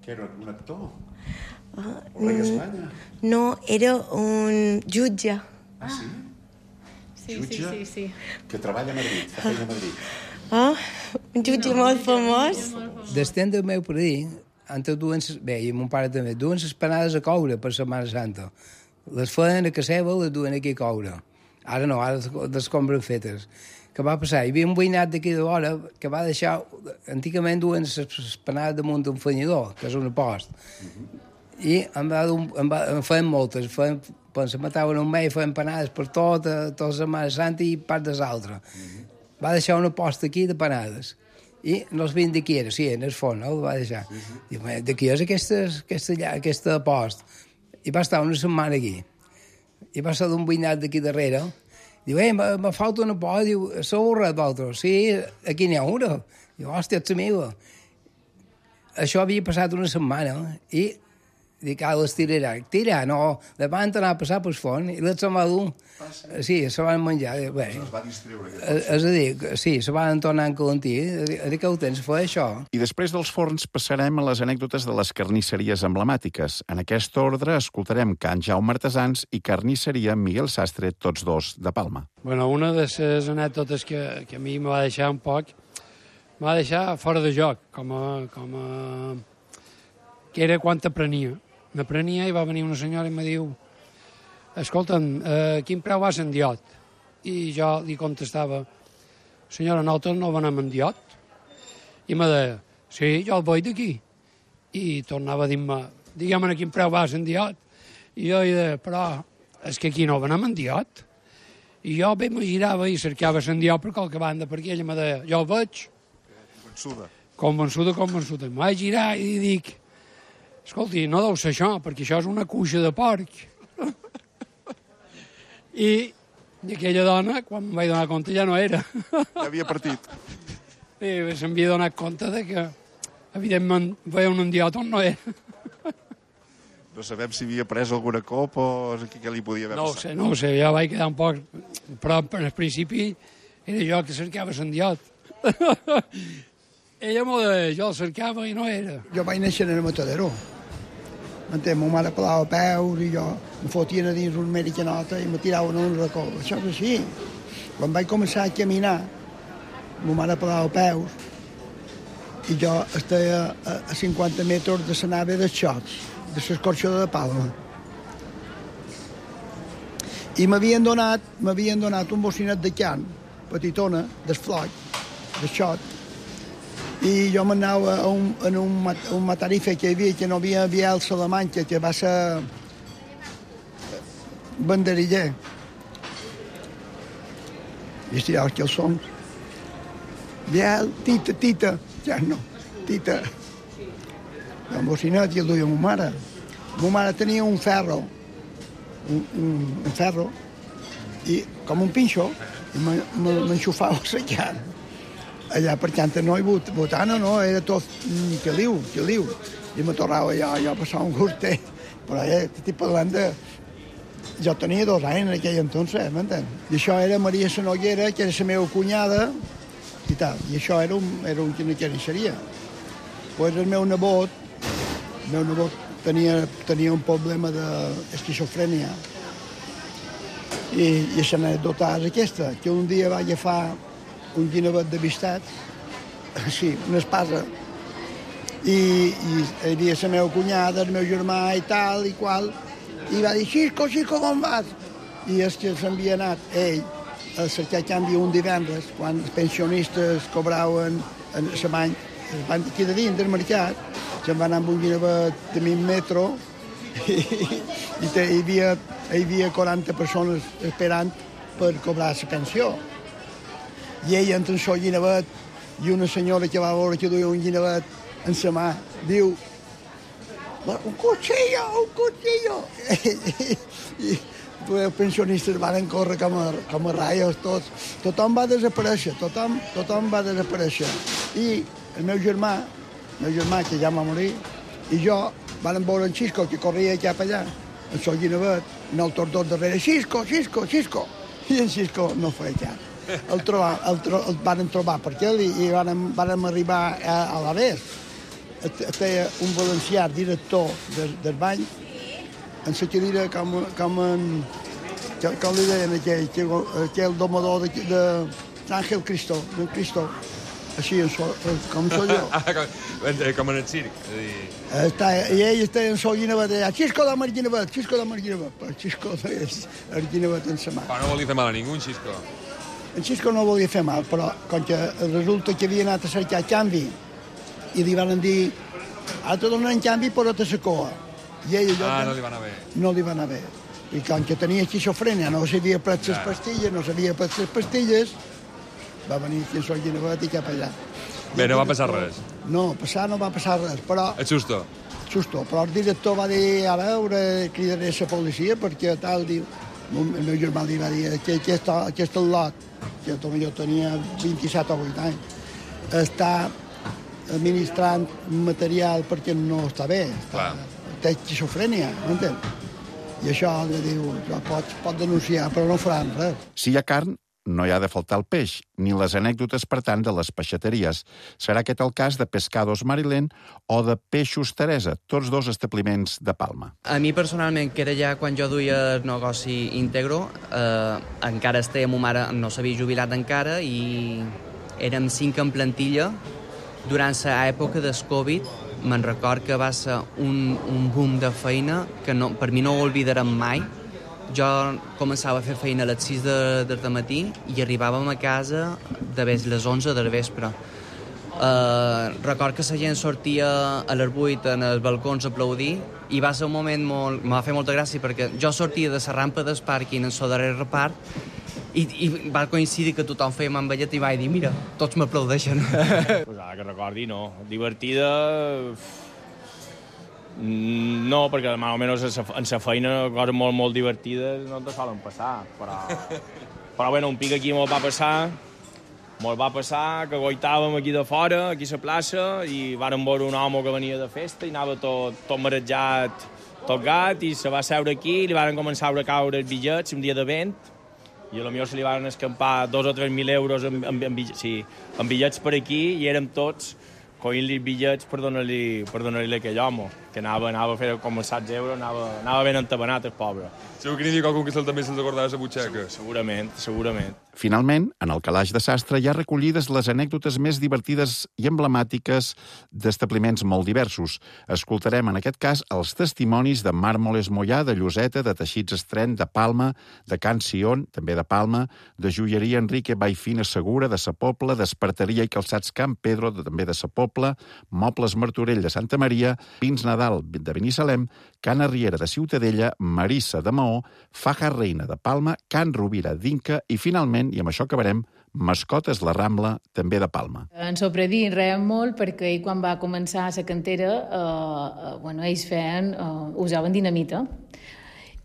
Que era un actor? Un rei d'Espanya? No, era un jutge. Ah, sí? Jutge? Sí. Que treballa a Madrid, fa feina a Madrid. Un jutge molt famós. D'estem del meu parí, bé, i mon pare també, duen les panades a coure per Setmana Santa. Les feien a casa seva, les duen aquí a coure. Ara no, ara les compren fetes. Què va passar? Hi havia un veïnat d'aquí de vora que va deixar... Antigament duen les panades damunt d'un fanyador, que és un post. I en feien moltes. Quan se mataven un mes, feien panades per tota Setmana Santa i part des altres. Va deixar una posta aquí de panades. I no els veien d'aquí era, sí, en el fons, el va deixar. Diu, d'aquí és aquesta posta. I va estar una setmana aquí. I va ser d'un veïnat d'aquí darrere. Diu, me falta una posta. Diu, sou res d'altres? Sí, aquí n'hi ha una. Diu, hòstia, ets meva. Això havia passat una setmana i dic, les tirarà. Tira, no, les van anar a passar pel fons i les se'n va dur. Sí, se van menjar. Bé, es va distreure. És a dir, sí, se van tornar en calentí. A dir que ho tens, fer això. I després dels forns passarem a les anècdotes de les carnisseries emblemàtiques. En aquest ordre escoltarem Can Jaume Artesans i Carnisseria Miguel Sastre, tots dos de Palma. Bueno, una de les anècdotes que a mi me va deixar un poc, me va deixar fora de joc, que era quan aprenia. M'aprenia i va venir una senyora i me diu, escolta'm, quin preu vas en diot? I jo li contestava, senyora, nosaltres no venem en diot. I me deia, sí, jo el vull d'aquí. I tornava a dir-me, digue'm quin preu vas en diot. I jo deia, però és que aquí no venem en diot. I jo bé me girava i cercava en diot per qualque banda, perquè ella me deia, jo el veig. Convençuda. Em vaig girar i dic, escolti, no deu ser això, perquè això és una cuixa de porc. I aquella dona, quan em vaig donar compte, ja no era. Ja havia partit. I se'm havia donat compte que, evidentment, veien un diot on no era. No sabem si havia pres alguna copa o què li podia haver passat. No ho sé, ja vaig quedar un poc... Però al principi era jo que cercava en diot. Ella m'ho deia, jo el cercava i no era. Jo vaig néixer en el Matadero. M'entén, ma mare pelava peus i jo em fotien a dins un americanota i me tiraven un racó. Això és així. Quan vaig començar a caminar, ma mare pelava peus i jo estava a 50 metres de la nave dels xots, de l'escorxó de Palma. I m'havien donat un bocinet de can, petitona, d'esfloc, de xot, i jo m'anava en un matarife que hi havia, que no havia Biel Salamanca, que va ser banderiller. I estirava els calçons. Biel, tita, ja no, tita. Un bocinet i el duia ma mare. Ma mare tenia un ferro, un ferro, i com un pinxo, i m'enxufava la llar. Allà perquè antes no hi botana, no, era tot caliu. I me tornava jo a passar un gustet. Però estic parlant de... Jo tenia 2 anys en aquell entonces, m'entens? I això era Maria Sanoguera, que era la meva cunyada, i tal. I això era una carnisseria. Pues el meu nebot tenia un problema d'esquizofrènia. I l'anècdota és aquesta, que un dia va agafar un guinevet de vistat, sí, una espasa, i hi havia la meva cunyada, el meu germà i tal i qual, i va dir, Xisco, com vas? I és que s'havia anat ell a cercar canvi un divendres, quan els pensionistes cobraven la bany, aquí de dins del mercat, se'n va anar amb un guinevet de 1000 metres i hi havia 40 persones esperant per cobrar la pensió. I ell entra en el guinevet i una senyora que va veure que duia un guinevet en la mà diu un cuchillo! I els pensionistes van córrer com a raios tots. Tothom va desaparèixer. I el meu germà, que ja va morir, i jo vam veure en Xisco, que corria cap allà, en el guinevet, en el tordó darrere, Xisco! I en Xisco no feia cap. El van trobar per aquí i vam arribar a l'Avés. Feia un valencià director del bany, en la cadira com li deien aquell domador d'Àngel Cristo, d'en Cristo, així, com soy jo. Com en el circ. I ell estava en el guinevet allà, Xisco dame el guinevet, però Xisco el guinevet en la mà. Però no volia fer mal a ningú, en Xisco. En Xisco no volia fer mal, però com que resulta que havia anat a cercar canvi i li van dir, ara te donen canvi però te la coa. I ell no li va anar bé. No li va anar bé. I com que tenia esquizofrènia, no sabia pres les pastilles, va venir aquí a Guinevet i cap allà. Bé, no va passar res. No va passar res, però... Et susto. Però el director va dir, a veure, cridaré la policia, perquè tal, diu... El meu germà li va dir que aquest lot, que jo tenia 27 o 8 anys, està administrant material perquè no està bé, té esquizofrènia, m'entens? I això li diu, pot denunciar, però no faran res. Si hi ha carn, no hi ha de faltar el peix, ni les anècdotes, per tant, de les peixateries. Serà aquest el cas de Pescados Marilén o de Peixos Teresa, tots dos establiments de Palma. A mi, personalment, que era ja quan jo duia el negoci íntegro, encara estava, ma mare no s'havia jubilat encara i érem 5 en plantilla. Durant l'època del Covid, me'n record que va ser un boom de feina que per mi no ho oblidarem mai. Jo començava a fer feina a les 6 del matí i arribàvem a casa de les 11 del vespre. Record que la gent sortia a les 8 en els balcons a aplaudir i va ser un moment molt... Em va fer molta gràcia perquè jo sortia de la rampa del pàrquing en el darrer repart i va coincidir que tothom feia manvellet i vaig dir, mira, tots m'aplaudeixen. Pues ara que recordi, no. Divertida... No, perquè almenys en la feina coses molt divertides no te solen passar, però bueno, un pic aquí me'l va passar que goitàvem aquí de fora, aquí a la plaça, i vàrem veure un home que venia de festa i anava tot marejat, tot gat, i se va seure aquí i li varen començar a caure els bitllets un dia de vent, i potser se li varen escampar 2 o 3.000 euros en bitllets per aquí, i érem tots coint-li bitllets per donar-li a aquell home, que anava a fer com els 7 euros, anava ben entabanat el pobre. Segur que n'hi havia qualcun que també se'ls acordava de la butxaca. Segurament. Finalment, en el calaix de sastre hi ha recollides les anècdotes més divertides i emblemàtiques d'establiments molt diversos. Escoltarem, en aquest cas, els testimonis de Màrmoles Mollà, de Lloseta, de Teixits Estren, de Palma, de Can Sion, també de Palma, de Joieria Enrique Baifina Segura, de Sa Pobla, d'Esparteria i Calçats Can Pedro, també de Sa Pobla, Mobles Martorell de Santa Maria, Pins Nadal de Binissalem, Can Arriera de Ciutadella, Marissa de Maó, Faja Reina de Palma, Can Rovira d'Inca i, finalment, i amb això acabarem, Mascotes La Rambla, també de Palma. Ens sorprendí molt perquè ell, quan va començar la cantera, ells usaven dinamita.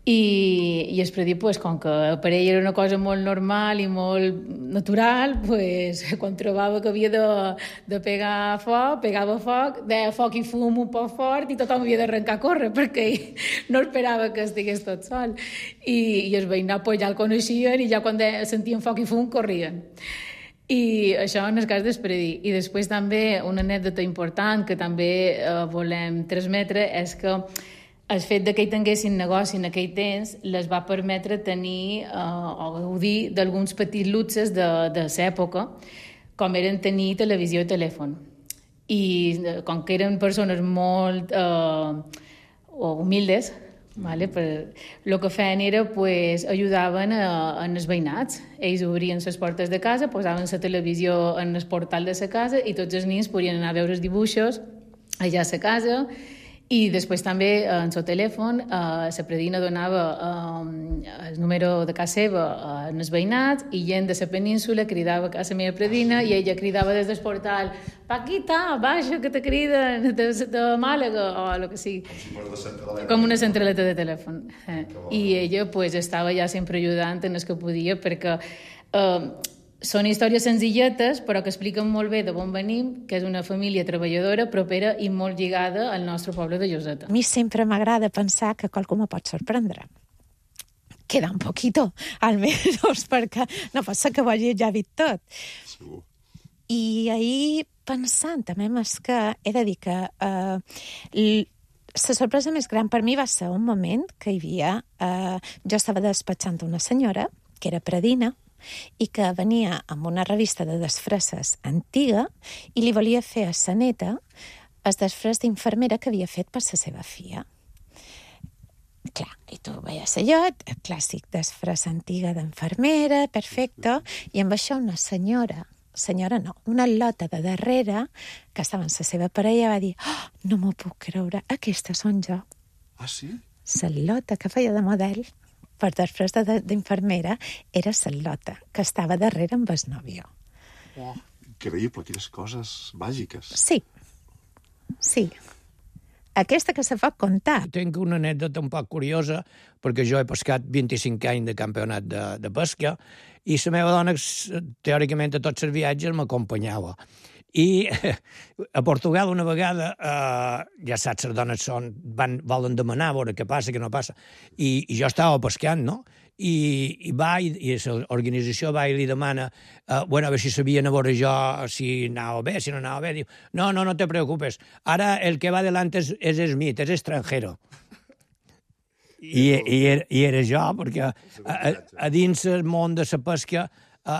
I el predí, com que per ell era una cosa molt normal i molt natural, quan trobava que havia de pegar foc, pegava foc, deia foc i fum un poc fort i tothom havia d'arrencar a córrer perquè ell no esperava que estigués tot sol. I els veïnats ja el coneixien i ja quan sentien foc i fum corrien. I això en el cas del predí. I després també una anècdota important que també volem transmetre és que el fet que hi tinguessin negoci en aquell temps les va permetre tenir o gaudir d'alguns petits luxes de l'època, com eren tenir televisió i telèfon. I com que eren persones molt humildes, el que feien era ajudaven els veïnats. Ells obrien les portes de casa, posaven la televisió en el portal de la casa i tots els nens podien anar a veure els dibuixos allà a la casa. I després també en el telèfon la predina donava el número de casa seva als veïnats i gent de la península cridava a la meva predina i ella cridava des del portal Paquita, baixa, que te criden de Màlaga o el que sigui. Com una centraleta de telèfon. I ella estava ja sempre ajudant en el que podia perquè són històries senzilletes, però que expliquen molt bé d'on venim, que és una família treballadora, propera i molt lligada al nostre poble de Lloseta. A mi sempre m'agrada pensar que qualcú me pot sorprendre. Queda un poquito, almenys, perquè no pot ser que ho hagi ja vist tot. Segur. I ahir, pensant, també és que he de dir que la sorpresa més gran per mi va ser un moment que hi havia... Jo estava despatxant una senyora, que era predina, i que venia amb una revista de disfresses antiga i li volia fer a sa neta el disfress d'infermera que havia fet per la seva filla. Clar, i tu veies allò, el clàssic disfress antiga d'enfermera, perfecte, i amb això una senyora no, una lota de darrere, que estava amb la seva parella, va dir no m'ho puc creure, aquesta són jo. Ah, sí? La lota que feia de model per després d'infermera era Salota, que estava darrere amb el nòvio. Oh, increïble, quines coses màgiques. Sí. Aquesta que se pot contar. Tinc una anècdota un poc curiosa, perquè jo he pescat 25 anys de campionat de pesca, i la meva dona, teòricament, a tots els viatges m'acompanyava. I a Portugal una vegada, ja saps, les dones volen demanar a veure què passa, què no passa, i jo estava pescant, no? I l'organització va i li demana a veure si sabien a veure jo si anava bé, si no anava bé. Diu, no te preocupes, ara el que va delante és Smith, és estrangero. I era jo, perquè a dins el món de la pesca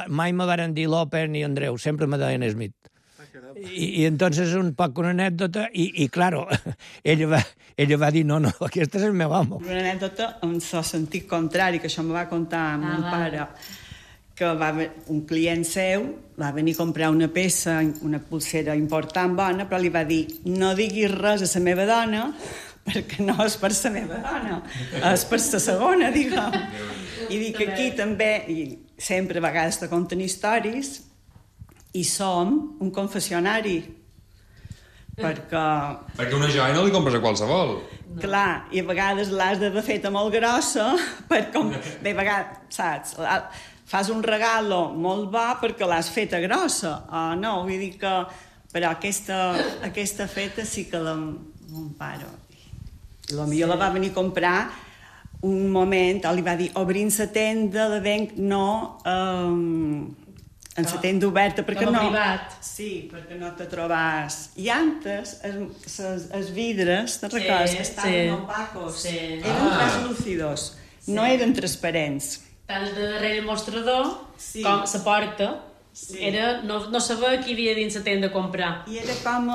mai me van dir López ni Andreu, sempre me deien Smith. I entonces un poc una anècdota i claro, ella va dir no, aquest és el meu amo. Una anècdota en el sentit contrari, que això me va contar mon pare, que un client seu va venir a comprar una peça, una pulsera important, bona, però li va dir no diguis res a la meva dona perquè no és per la meva dona, és per la segona, diguem. I dic que aquí també, i sempre a vegades te conten històries, i som un confessionari. Perquè una joia no li compres a qualsevol. Clar, i a vegades l'has d'haver feta molt grossa, bé, a vegades, saps, fas un regalo molt bo perquè l'has feta grossa, o no, vull dir que... Però aquesta feta sí que mon pare... Potser la va venir a comprar un moment, li va dir, obrint la tenda de venc, no... en la tenda oberta, perquè no... privat. Sí, perquè no te trobes... I antes, els vidres, te'n recordes, estaven opacos. Eren translúcidos, no eren transparents. Tant de darrere el mostrador com la porta, no saber qui havia dins la tenda a comprar. I era com...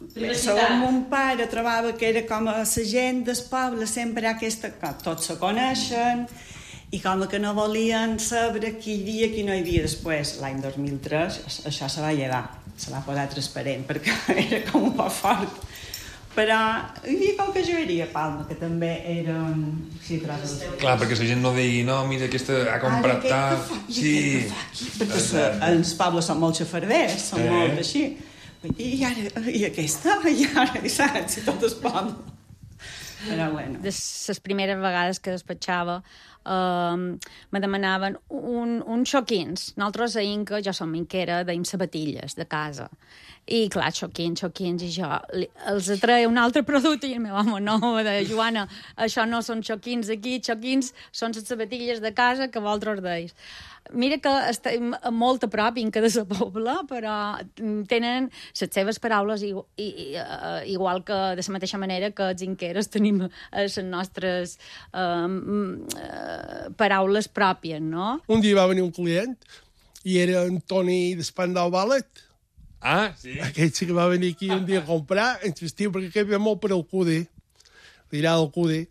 Segons mon pare trobava que era com la gent del poble, sempre aquesta... Tots se coneixen, i com que no volien saber qui hi havia, qui no hi havia. Després, l'any 2003, això se va llevar, se va posar transparent, perquè era com un poc fort. Però hi havia qualque joieria a Palma, que també eren... Sí, clar, perquè la gent no digui, no, mira, aquesta ha comprat tal... Sí. Perquè els pobles són molt xafarders, són molt així. I ara, i aquesta? I ara, saps? I tot es poble. Però bueno. De les primeres vegades que despatxava, me demanaven un xoquins. Nosaltres a Inca, jo som inquera, deim sabatilles de casa. I clar, xoquins, i jo els atreia un altre producte i el meu home, no, Joana, això no són xoquins aquí, xoquins són les sabatilles de casa que vosaltres deis. Mira que estem molt a prop, Inca de la Pobla, però tenen les seves paraules igual que de la mateixa manera que els inqueres tenim les nostres paraules pròpies, no? Un dia va venir un client i era en Toni d'Espandau Ballet. Ah, sí? Aquell sí que va venir aquí un dia a comprar, ens vestiu perquè aquell ve molt per al CUDE, dirà del CUDE.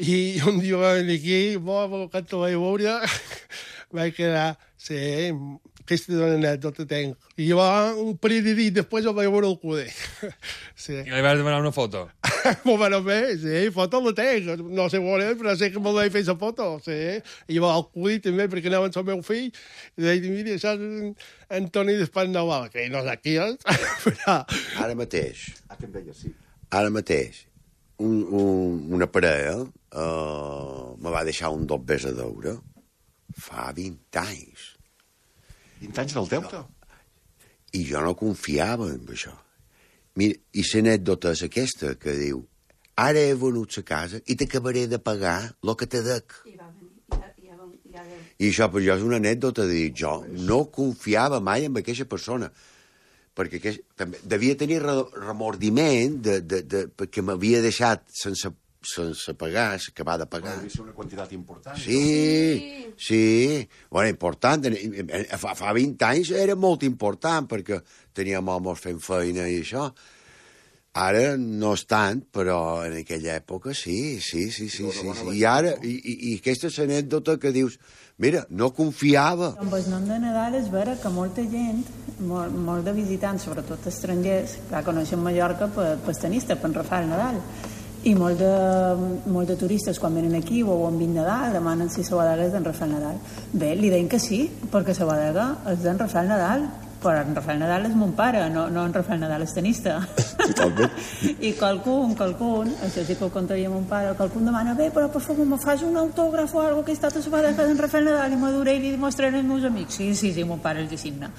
I un dia va venir aquí, quan te vaig veure, vaig quedar, sí, aquesta és una anècdota tenc. I jo un parell de dies després el vaig veure al CUDE. Sí. I li vas demanar una foto? M'ho van fer, sí, foto la tenc. No sé on és, però sé que me'l vaig fer la foto, sí. I va al CUDE també, perquè anava amb el meu fill, i deia, mira, això és Antoni d'Espandau, que no sé qui és, però... Ara mateix, una parella me va deixar un dobbers a deure fa 20 anys. 20 anys del deute? I jo no confiava en això. Mira, i l'anècdota és aquesta, que diu, ara he venut la casa i t'acabaré de pagar el que te dec. I això per jo és una anècdota de dir, jo no confiava mai en aquesta persona, perquè també devia tenir remordiment perquè m'havia deixat sense pagar, acabar de pagar. Devia ser una quantitat important. Sí. Bueno, important. Fa 20 anys era molt important, perquè teníem homes fent feina i això. Ara no és tant, però en aquella època sí. I ara, i aquesta és l'anècdota que dius, mira, no confiava. Amb el nom de Nadal és vera que molta gent, molt de visitants, sobretot estrangers, que coneixen Mallorca per tenista, per Rafael Nadal. I molt de turistes, quan venen aquí o han vist Nadal, demanen si la bodega és d'en Rafael Nadal. Bé, li deim que sí, perquè la bodega és d'en Rafael Nadal, però en Rafael Nadal és mon pare, no en Rafael Nadal és tenista. I qualcun, això sí que ho contaria mon pare, qualcun demana, bé, però per favor, me fas un autògraf o alguna cosa que he estat a la bodega d'en Rafael Nadal i m'aduré i li mostraré als meus amics. Sí, mon pare els hi signa.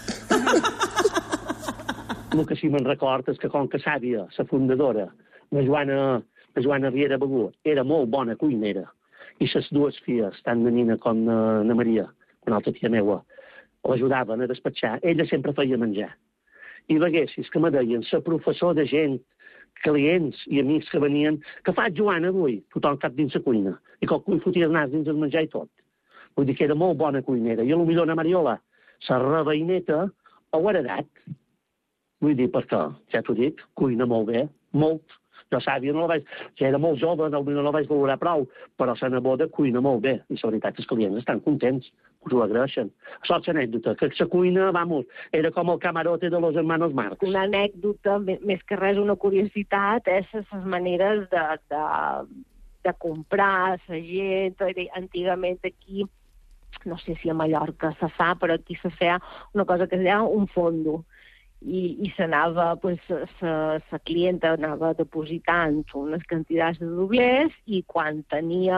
El que sí me'n record és que com que Sàvia, la fundadora, la Joana Riera Begú, era molt bona cuinera, i les dues filles, tant la Nina com la Maria, una altra tia meua, l'ajudaven a despatxar. Ella sempre feia menjar. I veguessis que me deien, la professor de gent, clients i amics que venien, que fa Joana avui? Tothom cap dins la cuina. I qualcú hi fotia el nas dins el menjar i tot. Vull dir que era molt bona cuinera. I potser la Mariola, la reveïneta, ho ha heredat. Vull dir, perquè, ja t'ho dic, cuina molt bé, molt. Jo Sàvia no la vaig... Ja era molt jove, no la vaig valorar prou, però la neboda cuina molt bé. I la veritat és que els clients estan contents, us ho agraeixen. Això és l'anècdota, que la cuina, vamos, era com el camarote de los hermanos Marx. Una anècdota, més que res una curiositat, és les maneres de comprar, la gent. Antigament aquí, no sé si a Mallorca se fa, però aquí se feia una cosa que es deia un fondo. I s'anava, la clienta anava depositant unes quantitats de doblers i quan tenia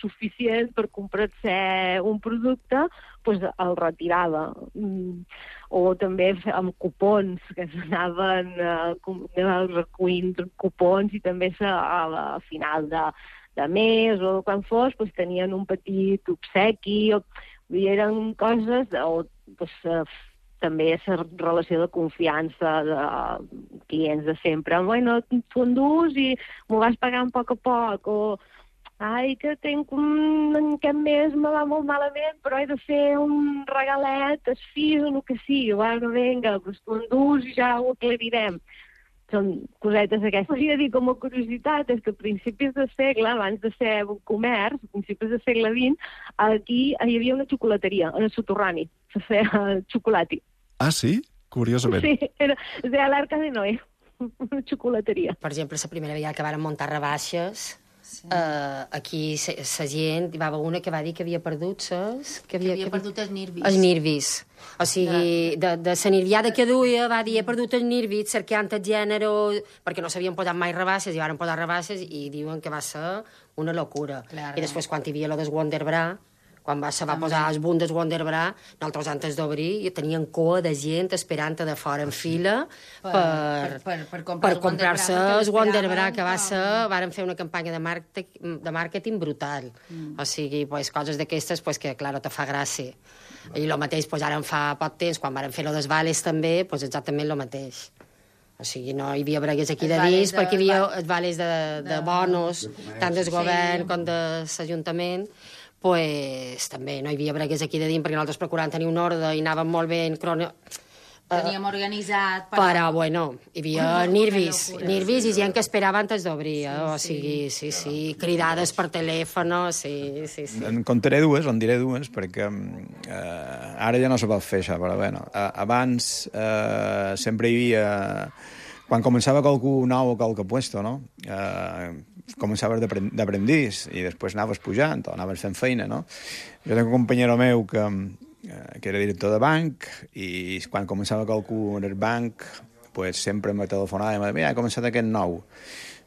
suficient per comprar-se un producte, el retirava. O també amb cupons, que s'anaven recollint cupons i també a final de mes o quan fos, tenien un petit obsequi. Eren coses, també la relació de confiança de clients de sempre. Bueno, t'ho endús i m'ho vas pagar a poc, o ai, que tenc aquest mes me va molt malament, però he de fer un regalet, es fis o el que sigui. Bueno, vinga, t'ho endús i ja ho aclarirem. Són cosetes aquestes. Volia dir com a curiositat és que a principis de segle, abans de ser un comerç, a principis del segle XX, aquí hi havia una xocolateria, en el soterrani, se feia xocolati. Ah, sí? Curiosament. Sí, era l'Arca de Noé, una xocolateria. Per exemple, la primera vegada que varen muntar rebaixes, aquí la gent, hi va haver una que va dir que havia perdut que havia perdut els nervis. Els nervis. O sigui, de la nerviada que duia, va dir, he perdut els nervis cercant el gènere, perquè no s'havien posat mai rebasses, i van posar rebasses, i diuen que va ser una locura. I després, quan hi havia lo del Wonderbra, quan se va posar els boom del Wonderbra, nosaltres antes d'obrir tenien cua de gent esperant de fora en fila per comprar-se el Wonderbra, que varen fer una campanya de màrqueting brutal. O sigui, coses d'aquestes que, clar, te fa gràcia. I el mateix, ara fa poc temps, quan varen fer lo dels vales també, exactament el mateix. O sigui, no hi havia bregues aquí de dins, perquè hi havia els vales de bonos, tant del govern com de l'Ajuntament, també no hi havia bregues aquí de dins, perquè nosaltres procuràvem tenir un ordre i anàvem molt ben teníem organitzat... Però, bueno, hi havia nervis i gent que esperava antes d'obrir, o sigui, sí, cridades per telèfon, sí. En contaré dues, en diré dues, perquè ara ja no se pot fer això, però bueno, abans sempre hi havia... Quan començava qualcú nou o qualque puesto, no? Començaves d'aprendís i després anaves pujant o anaves fent feina, no? Jo tinc un companyero meu que era director de banc i quan començava qualcú en el banc sempre me telefonava i me deia, mira, ha començat aquest nou.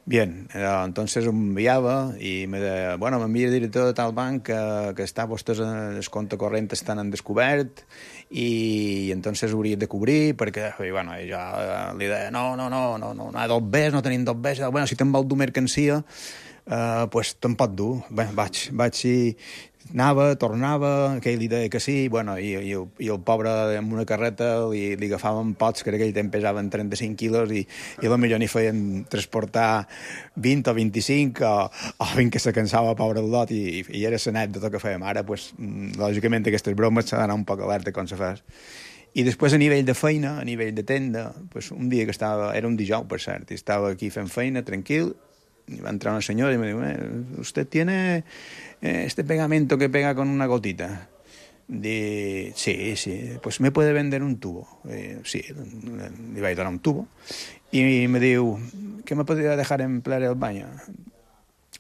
Bien, entonces em enviava i me deia, bueno, m'envia el director de tal banc que està vostès el compte corrent estan en descobert i entonces hauries de cobrir perquè, bueno, jo li deia, no, dos bes, no tenim dos bes, bueno, si te'n vol dur mercancia, te'n pot dur. Bé, vaig i anava, tornava, aquell li deia que sí, bueno, i el pobre amb una carreta li agafaven pots que aquell temps pesaven 35 quilos i potser n'hi feien transportar 20 o 25 o 20 que se cansava, pobre el lot, i era l'anècdota que fèiem. Ara, lògicament, aquestes bromes s'ha d'anar un poc alerta com se fas. I després, a nivell de feina, a nivell de tenda, un dia que era un dijous, per cert, i estava aquí fent feina, tranquil, y va a entrar una señora y me dijo, ¿usted tiene este pegamento que pega con una gotita? Sí, pues me puede vender un tubo. Sí, le iba a dar un tubo. Y me dijo, ¿qué me podría dejar emplear el baño?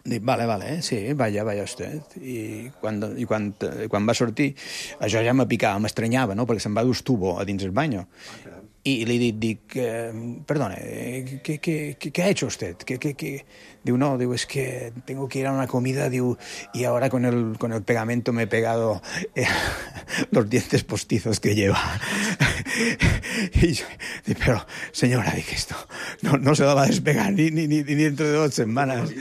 Dic, vale, sí, vaya usted. I quan va sortir, això ja me picava, m'estranyava, no?, perquè se'n va dur el tubo a dins el baño. Y le dic, perdone, ¿qué ha hecho usted? Digo, no, es que tengo que ir a una comida, digo, y ahora con el pegamento me he pegado los dientes postizos que lleva. Y yo, pero, señora, dije, esto no se va a despegar ni dentro de 2 setmanes.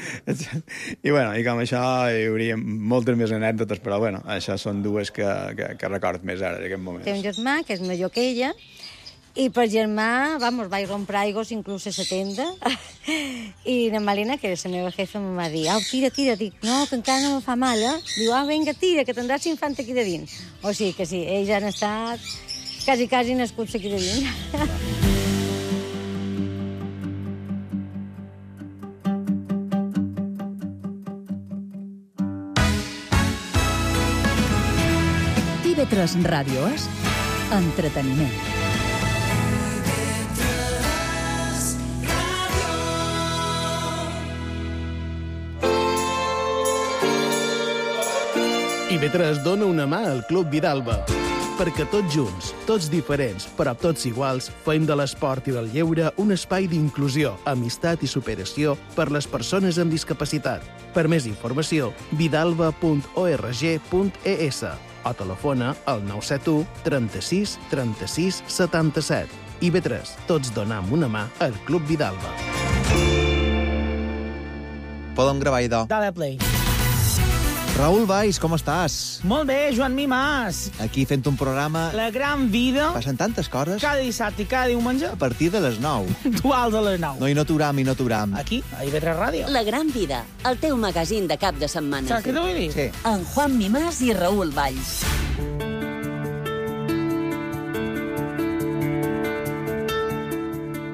I bueno, i com això hi hauria moltes més anècdotes, però bueno, això són dues que record més ara, en aquest moment. Té un germà que és major que ella, i per germà, vaig rompre aigües inclús a la tenda, i la Malina, que era la meva jefa, em va dir, tira, dic, no, que encara no me fa mal, Diu, vinga, tira, que tindràs l'infant aquí de dins. O sigui que sí, ells han estat quasi nascuts aquí de dins. TV3 Ràdio és entreteniment. IB3 dona una mà al Club Vidalba, perquè tots junts, tots diferents, però tots iguals, fem de l'esport i del lleure un espai d'inclusió, amistat i superació per les persones amb discapacitat. Per més informació, vidalba.org.es o telefona al 971 36 36 77. IB3, tots donam una mà al Club Vidalba. Podem gravar, idò. Dale play. Raül Valls, com estàs? Molt bé, Joan Mimàs. Aquí fent un programa... La gran vida. Passen tantes coses. Cada dissabte i cada diumenge. A partir de les 9. Duals a les 9. No, i no t'uram. Aquí, a IB3 Ràdio. La gran vida, el teu magazín de cap de setmana. Saps què t'ho vull dir? Sí. En Juan Mimàs i Raül Valls.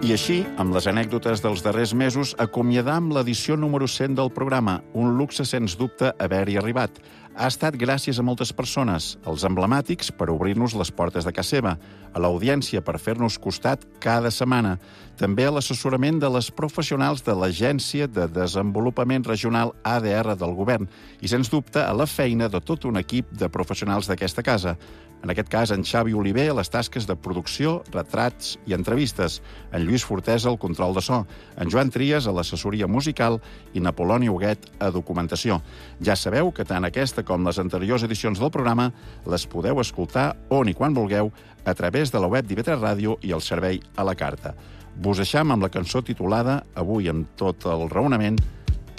I així, amb les anècdotes dels darrers mesos, acomiadam l'edició número 100 del programa, un luxe sens dubte haver-hi arribat. Ha estat gràcies a moltes persones, als emblemàtics per obrir-nos les portes de casa seva, a l'audiència per fer-nos costat cada setmana, també a l'assessorament de les professionals de l'Agència de Desenvolupament Regional ADR del Govern i, sens dubte, a la feina de tot un equip de professionals d'aquesta casa. En aquest cas, en Xavi Oliver a les tasques de producció, retrats i entrevistes, en Lluís Fortesa al control de so, en Joan Trias a l'assessoria musical i Napoloni Huguet a documentació. Ja sabeu que tant aquesta com les anteriors edicions del programa les podeu escoltar on i quan vulgueu a través de la web d'IV3 Ràdio i el servei a la carta. Vos deixam amb la cançó titulada, avui amb tot el raonament,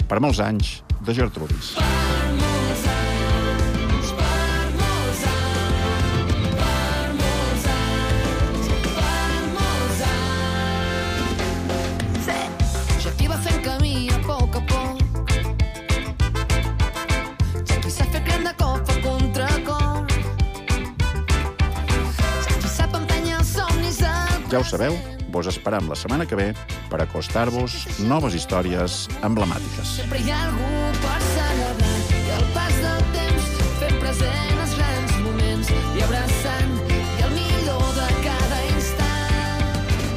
Per molts anys, de Gertrudis. Ja ho sabeu, vos esperam la setmana que ve per acostar-vos noves històries emblemàtiques. Sempre hi ha algú per celebrar i el pas del temps fent present els grans moments i abraçant i el millor de cada instant.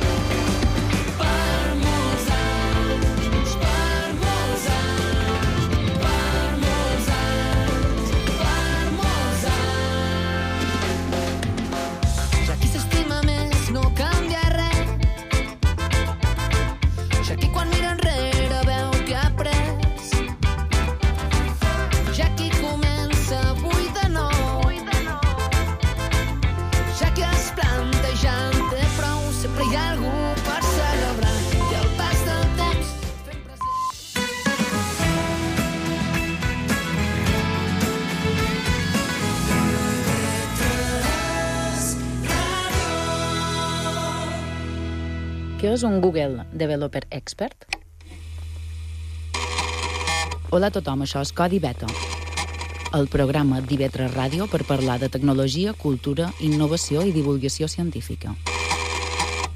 Per molts anys, per molts anys, per molts anys, per molts anys. Ja qui s'estima més no canvia res. Ja qui quan mira enrere veu que ha après. Ja qui comença avui de nou. Ja qui es planta ja en té prou. Sempre hi ha algú per celebrar i el pas del temps fent Què és un Google Developer Expert? Hola a tothom, això és Codi Beta, el programa d'IV3 Ràdio per parlar de tecnologia, cultura, innovació i divulgació científica.